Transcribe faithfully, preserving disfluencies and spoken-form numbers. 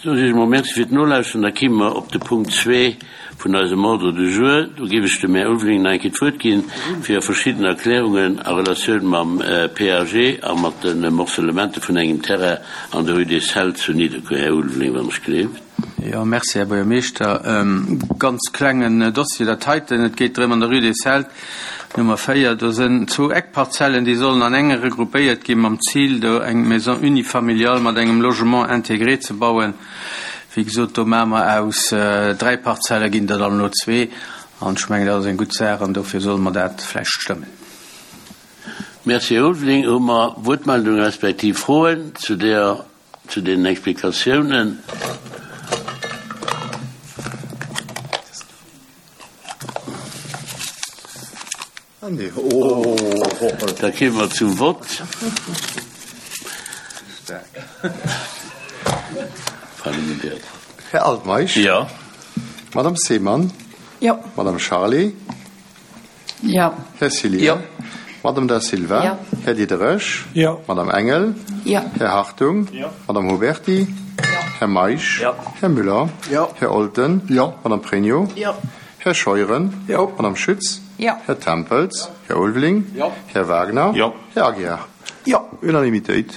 Soen ech emol Merci fir d'Nolauschteren. Da kimme mer op de Punkt zwee vun eisem Ordre du jour. Do géif ech dem Här Ulveling nach eng Kéier d'Wuert ginn, fir verschidden Erklärungen a Relatioun mam PAG a mat de Morcellementen vun engem Terrain an der Rue des Celtes zu Nidderkuer. Här Ulveling, wann ech gleeft. Jo, merci, Här Buergermeeschter. Ganz klengen Dossier dat heiten. Et geet drëm, an der Rue des Celtes Nummer véier, do sënn zwou Eckparzellen, déi sollen an enge regroupéiert gi mam Zil, do eng Maison unifamiliale mat engem Logement intégré ze bauen. Wéi gesot, do maache mer aus dräi Parzelle ginn der dann elo zwee. An ech mengen, dat ass eng gutt Saach an dofir solle mer dat vläicht stëmmen. Merci, Här Ulveling. Hu mer Wuertmeldungen respektiv Froen zu där, zu deenen Explikatiounen? Da kéime mer zum Vott. Här Altmeisch. Jo. Madame Seemann. Jo. Madame Charlé. Jo. Här Cillien. Jo. Madame Da Silva. Jo. Här Diderich. Jo. Madame Engel. Jo. Här Hartung. Jo. Madame Huberty. Jo. Här Meisch. Jo. Här Müller. Jo. Här Olten. Jo. Madame Pregno. Jo. Här Scheuren. Jo. Madame Schütz. Jo. Här Tempels. Här Ulveling. Jo. Här Wagner. Jo. Här Aguiar. Jo. Unanimitéit.